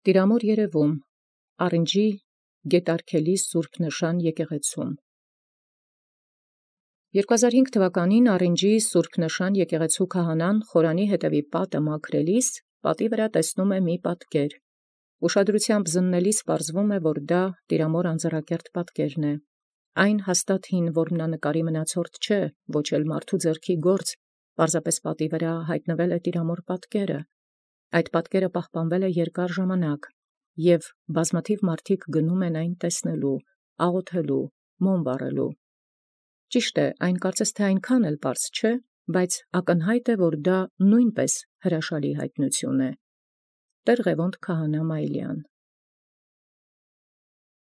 Տիրամոր երևում Առնջի Գետառքելի Սուրբ Նշան եկեղեցւոյ։ 2005 թվականին Առնջի Սուրբ Նշան եկեղեցու քահանան խորանի յետևի պատը մաքրելիս պատի վրա տեսնում մի պատկեր. ուշադրութեամբ զննելիս պարզվում որ դա տիրամոր անձեռակերտ պատկերն է։ Այն հաստատ հին որմնանկարի մնացորդ չէ, ոչ էլ մարդու ձեռքի գործ, պարզապես պատի վրա յայտնվել է տիրամոր պատկերը։ Այդ պատկերը պահպանվել է երկար ժամանակ, և բազմաթիվ մարդիկ գնում են այն տեսնելու, աղոթելու, մոմ վառելու։ Ճիշտ է, այն կարծես թե այնքան էլ պարզ չէ, բայց ակնհայտ է, որ դա նույնպես հրաշալի հայտնութիւն է։ Տեր Ղևոնդ քահանա Մայիլյան։